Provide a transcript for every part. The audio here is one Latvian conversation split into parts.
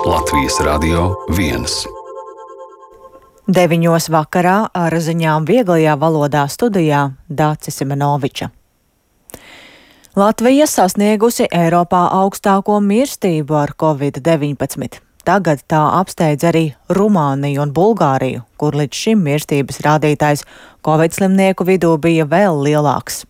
Latvijas Radio 1. 9. vakarā ar ziņām vieglajā valodā studijā Dācis Simenoviča. Latvija sasniegusi Eiropā augstāko mirstību ar Covid-19. Tagad tā apsteidz arī Rumāniju un Bulgāriju, kur līdz šim mirstības rādītājs Covid slimnieku vidū bija vēl lielāks.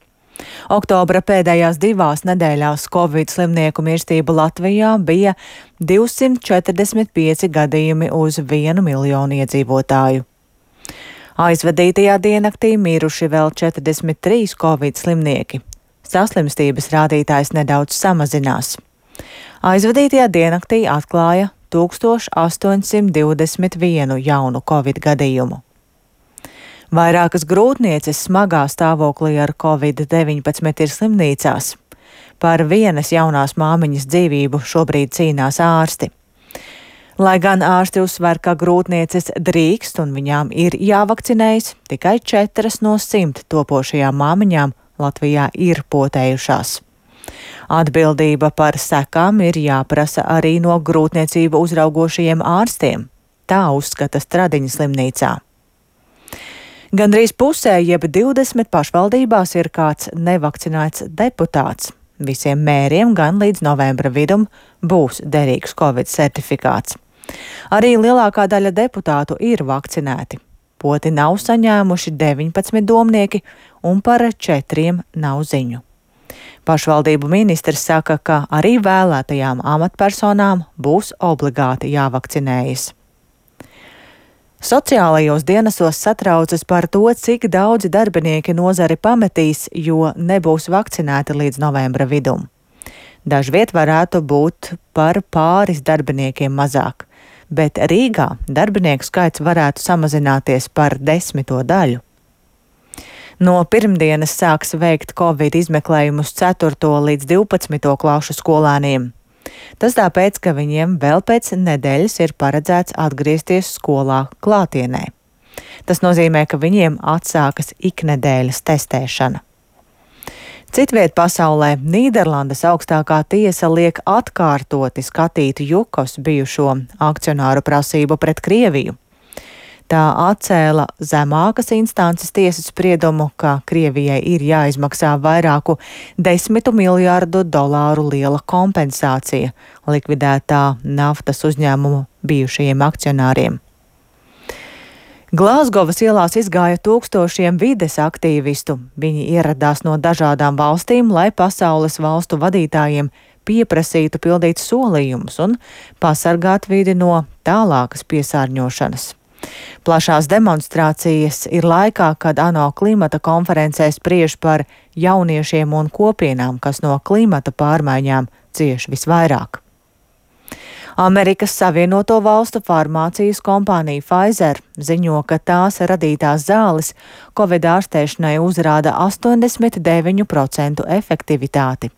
Oktobra pēdējās 2 nedēļās Covid slimnieku mirstība Latvijā bija 245 gadījumi uz 1 miljonu iedzīvotāju. Aizvadītajā diennaktī miruši vēl 43 Covid slimnieki. Saslimstības rādītājs nedaudz samazinās. Aizvadītajā diennaktī atklāja 1821 jaunu Covid gadījumu. Vairākas grūtnieces smagā stāvoklī ar Covid-19 ir slimnīcās. Par vienas jaunās māmiņas dzīvību šobrīd cīnās ārsti. Lai gan ārsti uzsver, ka grūtnieces drīkst un viņām ir jāvakcinējas, tikai 4 no 100 topošajām māmiņām Latvijā ir potējušās. Atbildība par sekām ir jāprasa arī no grūtniecību uzraugošajiem ārstiem. Tā uzskata Stradiņa slimnīcā. Gandrīz pusē, jeb 20 pašvaldībās ir kāds nevakcinēts deputāts. Visiem mēriem gan līdz novembra vidum būs derīgs Covid certifikāts. Arī lielākā daļa deputātu ir vakcinēti. Poti nav saņēmuši 19 domnieki un par 4 nav ziņu. Pašvaldību ministrs saka, ka arī vēlētajām amatpersonām būs obligāti jāvakcinējas. Sociālajos dienestos satraucas par to, cik daudzi darbinieki nozari pametīs, jo nebūs vakcinēti līdz novembra vidum. Dažviet varētu būt par pāris darbiniekiem mazāk, bet Rīgā darbinieku skaits varētu samazināties par 10. daļu. No pirmdienas sāks veikt Covid izmeklējumus 4. līdz 12. klašu skolēniem. Tas tāpēc, ka viņiem vēl pēc nedēļas ir paredzēts atgriezties skolā klātienē. Tas nozīmē, ka viņiem atsākas iknedēļas testēšana. Citviet pasaulē Nīderlandes augstākā tiesa liek atkārtoti skatīt Jukos bijušo akcionāru prasību pret Krieviju. Tā atcēla zemākas instances tiesas spriedumu, ka Krievijai ir jāizmaksā vairāku $10 miljārdu liela kompensācija likvidētā naftas uzņēmumu bijušajiem akcionāriem. Glāzgovas ielās izgāja tūkstošiem vides aktīvistu. Viņi ieradās no dažādām valstīm, lai pasaules valstu vadītājiem pieprasītu pildīt solījumus un pasargāt vidi no tālākas piesārņošanas. Plašās demonstrācijas ir laikā, kad ANO klimata konferencē spriež par jauniešiem un kopienām, kas no klimata pārmaiņām cieš visvairāk. Amerikas Savienoto Valstu farmācijas kompānija Pfizer ziņo, ka tās radītās zāles Covid ārstēšanai uzrāda 89% efektivitāti.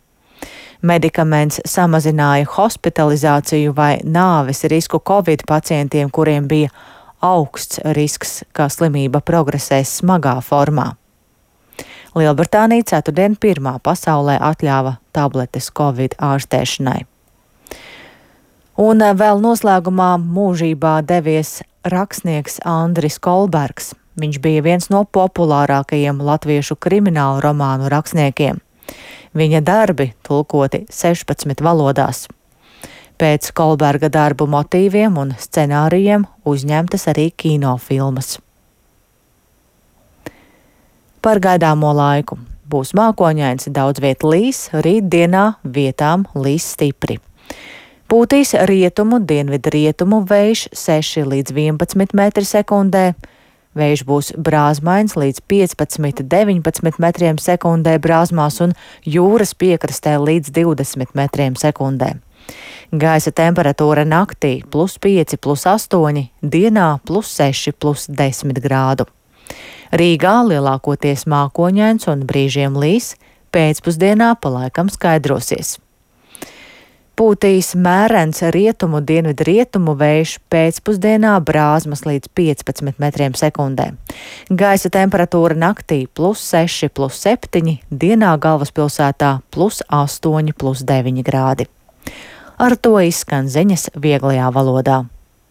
Medikaments samazināja hospitalizāciju vai nāves risku Covid pacientiem, kuriem bija augsts risks, ka slimība progresēs smagā formā. Lielbritānija ceturtdien pirmā pasaulē atļāva tabletes Covid ārstēšanai. Un vēl noslēgumā mūžībā devies rakstnieks Andris Kolbergs. Viņš bija viens no populārākajiem latviešu kriminālu romānu rakstniekiem. Viņa darbi tulkoti 16 valodās. Pēc Kolberga darbu motīviem un scenārijiem uzņemtas arī kinofilmas. Par gaidāmo laiku. Būs mākoņains, daudz viet līs, rītdienā vietām līs stipri. Pūtīs rietumu, dienvidrietumu vējš 6 līdz 11 metri sekundē. Vējš būs brāzmains līdz 15–19 metriem sekundē brāzmās un jūras piekrastē līdz 20 metriem sekundē. Gaisa temperatūra naktī +5, +8, dienā +6, +10 grādu. Rīgā lielākoties mākoņains un brīžiem līs, pēcpusdienā pa laikam skaidrosies. Pūtīs mērens rietumu, dienvidrietumu vējš, pēcpusdienā brāzmas līdz 15 metriem sekundē. Gaisa temperatūra naktī +6, +7, dienā galvaspilsētā +8, +9 grādi. Ar to izskan ziņas vieglajā valodā.